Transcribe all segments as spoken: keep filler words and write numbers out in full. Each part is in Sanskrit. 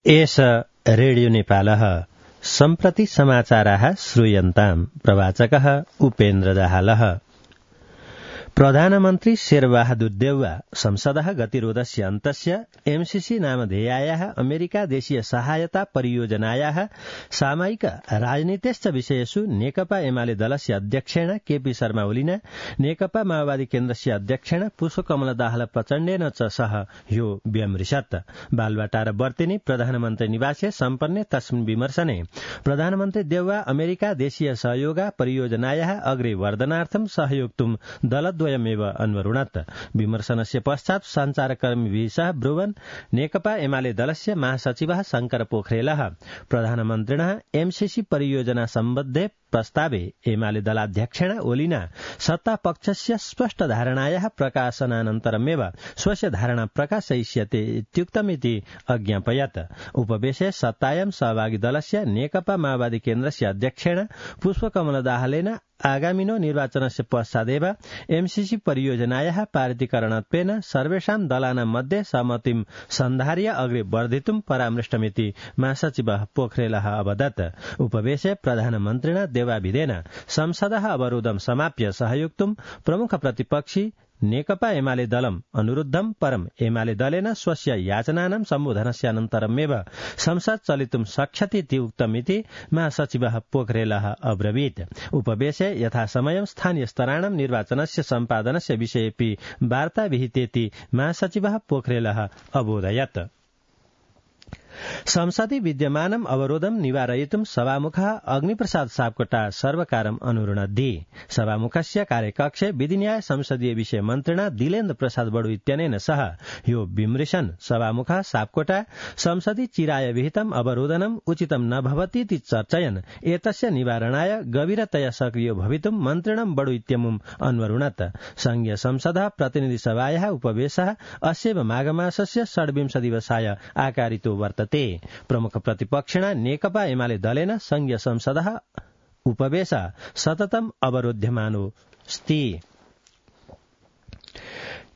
एष रेडियो नेपालः सम्प्रति समाचाराः श्रूयन्ताम् प्रवाचकः उपेन्द्र दाहालः। प्रधानमन्त्री शेरबहादुर देउवा संसदः गतिरोधस्य अन्तस्य एमसीसी नामधेयायाः अमेरिका देशीय सहायता परियोजनायाः सामयिक राजनीतिश्च विषयेषु नेकपा एमाले दलस्य अध्यक्षेण केपी शर्मा ओलिना नेकपा माओवादी केन्द्रस्य अध्यक्षेण पुष्पकमल दाहाल प्रचण्डेन च सह ह्यो व्यमृशत्। बालुवाटार वर्तिनी प्रधानमन्त्री निवासे सम्पन्ने तस्मिन् विमर्शने प्रधानमन्त्री देउवा अमेरिका देशीय सहयोग परियोजनायाः अग्रे वर्धनार्थं सहयोक्तुं दलद्वयमेव अन्वरुणत्। विमर्शनस्य पश्चात् सञ्चारकर्मीभिः सह ब्रुवन् नेकपा एमाले दलस्य महासचिवः शंकर पोखरेलः प्रधानमन्त्रिणः एमसीसी परियोजना सम्बद्धे प्रस्तावे एमाले दलाध्यक्षेण ओलिना सत्तापक्षस्य स्पष्ट धारणायाः प्रकाशनानन्तरमेव स्वस्य धारणा प्रकाशयिष्यते इत्युक्तमिति अज्ञापयत्। उपवेशे सत्तायां सहभागी दलस्य नेकपा माओवादी केन्द्रस्य अध्यक्षेण पुष्पकमल दाहालेन आगामिनो निर्वाचनस्य पश्चादेव एमसीसी परियोजनायाः पारितीकरणत्वेन सर्वेषां दलानां मध्ये सहमतिं सन्धार्य अग्रे वर्धितुं परामृष्टमिति महासचिवः पोखरेलः अवदत्। उपवेशे प्रधानमन्त्रिणा देवाभिधेन संसदः अवरोधं समाप्य सहयोक्तुं प्रमुख प्रतिपक्षी नेकपा एमाले दलम् अनुरुद्धं परम् एमाले दलेन स्वस्य याचनानां सम्बोधनस्यानन्तरमेव संसद चलितुं शक्ष्यतीति उक्तमिति महासचिवः पोखरेलः अब्रवीत्। उपवेशे यथासमयं स्थानीय स्तराणां निर्वाचनस्य सम्पादनस्य विषयेऽपि वार्ता विहितेति महासचिवः पोखरेलः अबोधयत्। संसदि विद्यमानम् अवरोधं निवारयितुं सभामुखः अग्निप्रसाद सापकोटा सर्वकारम् अनुरुणद्धि। सभामुखस्य कार्यकक्षे विधिन्याय संसदीय विषय मन्त्रिणा दिलेन्द्र प्रसाद बडु इत्यनेन सह ह्यो विमृशन् सभामुखः सापकोटा संसदि चिराय विहितम् अवरोधनम् उचितं न भवतीति चर्चयन् एतस्य निवारणाय गभीरतया सक्रियो भवितुं मन्त्रिणं बडु इत्यमुम् अन्वरुणत्। संघीय संसदः प्रतिनिधि सभायाः उपवेशः अस्यैव माघमासस्य षड्विंश दिवसाय आकारितो वर्तते। प्रमुख प्रतिपक्षिणा नेकपा एमाले दलेन संघीय संसदः उपवेश सततम् अवरोध्यमानोऽस्ति।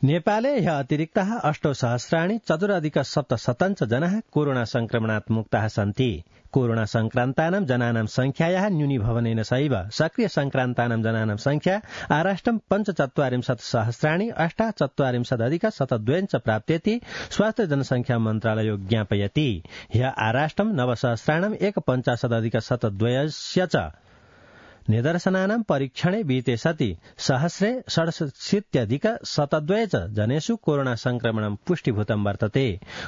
नेपाले ह्यः अतिरिक्तः अष्टौ सहस्राणि चतुरधिक सप्तशतञ्च जनाः कोरोना संक्रमणात् मुक्ताः सन्ति। कोरोना संक्रान्तानां जनानां संख्यायाः न्यूनीभवनेन सहैव सक्रिय संक्रान्तानां जनानां संख्या आराष्ट्रं पञ्चचत्वारिंशत् सहस्राणि अष्टाचत्वारिंशदधिक शतद्वयञ्च प्राप्तेति स्वास्थ्य जनसंख्या मन्त्रालयो ज्ञापयति। ह्यः आराष्ट्रं नवसहस्राणाम् एकपञ्चाशदधिक शतद्वयस्य च निदर्शनानां परीक्षणे विहिते सति सहस्रे षड्शीत्यधिक शतद्वय च जनेषु कोरोना संक्रमणं पुष्टिभूतं वर्तते।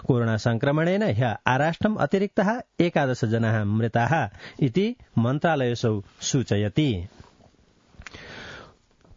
कोरोना संक्रमणेन ह्यः आराष्ट्रम् अतिरिक्तः एकादश जनाः मृताः इति मन्त्रालयसौ सूचयति।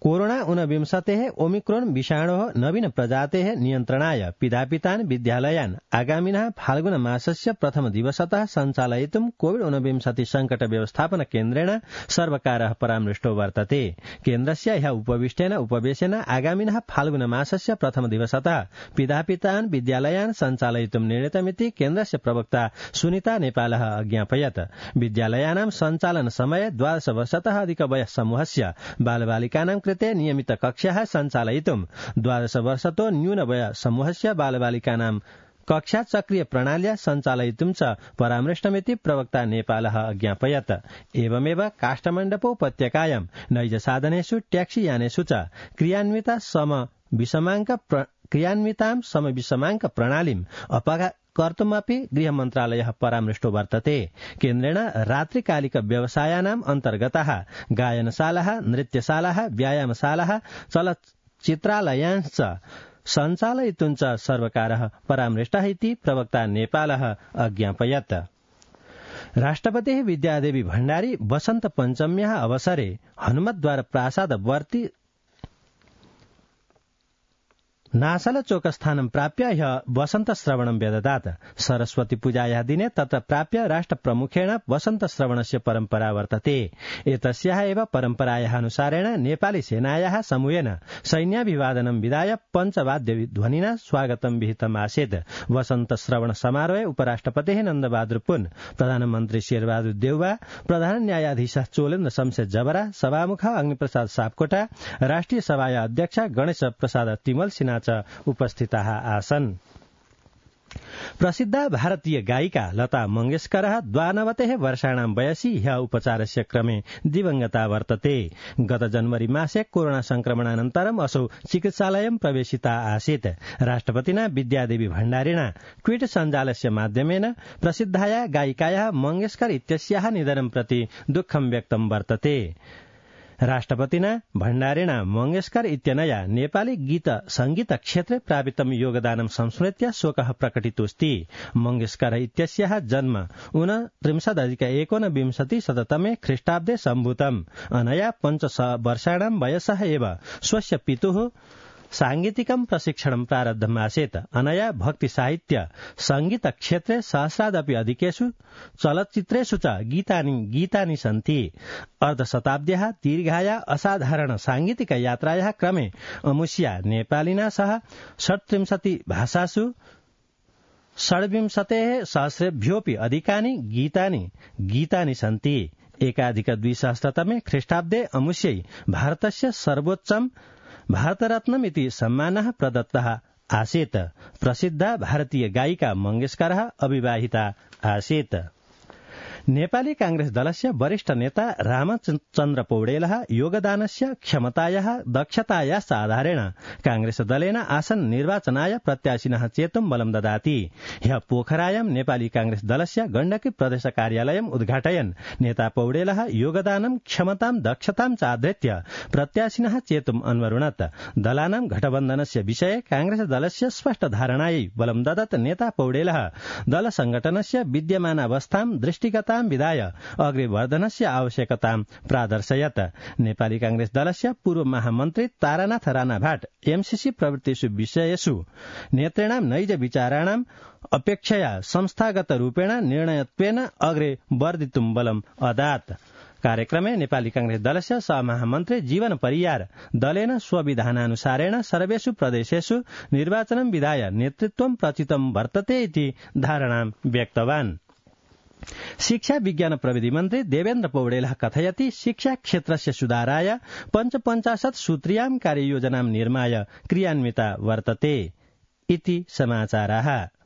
कोरोना ऊनविंशतेः ओमिक्रोन विषाणोः नवीन प्रजातेः नियन्त्रणाय पिधापितान् विद्यालयान् आगामिनः फाल्गुन मासस्य प्रथम दिवसतः सञ्चालयितुं कोविड ऊनविंशति संकट व्यवस्थापन केन्द्रेण सर्वकारः परामृष्टो वर्तते। केन्द्रस्य ह्यः उपविष्टेन उपवेशेन आगामिनः फाल्गुन मासस्य प्रथम दिवसतः पिधापितान् विद्यालयान् सञ्चालयितुं निर्णीतमिति केन्द्रस्य प्रवक्ता सुनीता नेपालः अज्ञापयत्। विद्यालयानां सञ्चालन समय द्वादश वर्षतः अधिक वयः समूहस्य बालबालिकानां कृते नियमित कक्षाः सञ्चालयितुं द्वादश वर्षतो न्यून वय समूहस्य बालबालिकानां कक्षा चक्रीय प्रणाल्या सञ्चालयितुं च परामृष्टमिति प्रवक्ता नेपालः अज्ञापयत्। एवमेव काष्ठमण्डपोपत्यकायां नैजसाधनेषु ट्याक्सी यानेषु च क्रियान्विता सम विषमाङ्क क्रियान्वितां समविषमाङ्क प्रणालीम् अपघात कर्तुमपि गृह मन्त्रालयः परामृष्टो वर्तते। केन्द्रेण रात्रिकालिक व्यवसायानाम् अन्तर्गताः गायनशालाः, नृत्यशालाः, व्यायामशालाः, चलच्चित्रालयांश्च सञ्चालयितुं च सर्वकारः परामृष्टः इति प्रवक्ता नेपालः अज्ञापयत्। राष्ट्रपतिः विद्यादेवी भण्डारी वसन्त पञ्चम्याः अवसरे हनुमद्वार प्रासाद वर्ति नासल चोकस्थानं प्राप्य ह्यः वसन्त श्रवणं व्यददात्। सरस्वती पूजायाः दिने तत्र प्राप्य राष्ट्रप्रमुखेण वसन्त श्रवणस्य परम्परा वर्तते। एतस्याः एव परम्परायाः अनुसारेण नेपाली सेनायाः समूहेन सैन्याभिवादनं विधाय पञ्चवाद्य ध्वनिना स्वागतं विहितम् आसीत्। वसन्त श्रवण समारोहे उपराष्ट्रपतिः नन्दबहादुर पुन, प्रधानमन्त्री शेरबहादुर देउवा, प्रधान न्यायाधीश चोलेन्द्र शमशेर जबरा, सभामुख अग्निप्रसाद सापकोटा, राष्ट्रिय सभाया अध्यक्ष गणेश प्रसाद तिमल सिन्हा उपस्थिताः आसन्। प्रसिद्ध भारतीय गायिका लता मंगेशकरः द्वानवतिः वर्षाणां वयसि ह्यः उपचारस्य क्रमे दिवंगता वर्तते। गत जनवरी मासे कोरोना संक्रमणानन्तरम् असौ चिकित्सालयं प्रवेशिता आसीत्। राष्ट्रपतिना विद्यादेवी भण्डारिणा ट्वीट सञ्जालस्य माध्यमेन प्रसिद्धाया गायिकायाः मंगेशकर इत्यस्याः निधनं प्रति दुःखं व्यक्तं वर्तते। राष्ट्रपतिना भण्डारिणा मंगेशकर इत्यनया नेपाली गीत संगीत क्षेत्रे प्रापितं योगदानं संस्मृत्य शोकः प्रकटितोऽस्ति। मंगेशकर इत्यस्याः जन्म ऊनत्रिंशदधिक एकोनविंशति शततमे ख्रीष्टाब्दे सम्भूतम्। अनया पञ्च वर्षाणां वयसः एव स्वस्य पितुः सांगीतिकं प्रशिक्षणं प्रारब्धमासीत्। अनया भक्ति साहित्य संगीत क्षेत्रे सहस्रादपि अधिकेषु चलच्चित्रेषु च गीतानि गीतानि सन्ति। अर्धशताब्द्याः दीर्घाया असाधारण सांगीतिक यात्रायाः क्रमे अमुष्या नेपालिना सह षट्त्रिंशति भाषासु षड्विंशतेः सहस्रेभ्योऽपि अधिकानि गीतानि गीतानि सन्ति। एकाधिक द्विसहस्रतमे ख्रीष्टाब्दे अमुष्यै भारतस्य सर्वोच्चम् भारतरत्नम् इति सम्मानः प्रदत्तः आसीत्। प्रसिद्धा भारतीय गायिका मंगेशकरः अविवाहिता आसीत्। नेपाली कांग्रेस दलस्य वरिष्ठ नेता रामचन्द्र पौडेलः योगदानस्य क्षमतायाः दक्षतायाश्च आधारेण कांग्रेस दलेन आसन् निर्वाचनाय प्रत्याशिनः चेतुं बलं ददाति। ह्यः पोखरायां नेपाली कांग्रेस दलस्य गण्डकी प्रदेश कार्यालयम् उद्घाटयन् नेता पौडेलः योगदानं क्षमतां दक्षतां च आधृत्य प्रत्याशिनः चेतुम् अन्वरुणत्। दलानां घटबन्धनस्य विषये कांग्रेस दलस्य स्पष्ट धारणायै बलं ददत् नेता पौडेलः दल संघटनस्य विद्यमानावस्थां दृष्टिगतां विधाय अग्रे वर्धनस्य आवश्यकतां प्रादर्शयत्। नेपाली कांग्रेस दलस्य पूर्व महामन्त्री तारानाथ राणा भाट एमसीसी प्रवृत्तिषु विषयेषु नेतॄणां नैज विचाराणाम् अपेक्षया संस्थागत रूपेण निर्णयत्वेन अग्रे वर्धितुं बलम् अदात्। कार्यक्रमे नेपाली कांग्रेस दलस्य सहमहामन्त्री जीवन परियार दलेन स्वविधानानुसारेण सर्वेषु प्रदेशेषु निर्वाचनं विधाय नेतृत्वं प्रचितं वर्तते इति धारणां व्यक्तवान्। शिक्षा विज्ञान प्रविधि मन्त्री देवेन्द्र पौडेलः कथयति शिक्षा क्षेत्रस्य सुधाराय पञ्चपञ्चाशत् सूत्रीयां कार्ययोजनां निर्माय क्रियान्विता वर्तते इति समाचाराः।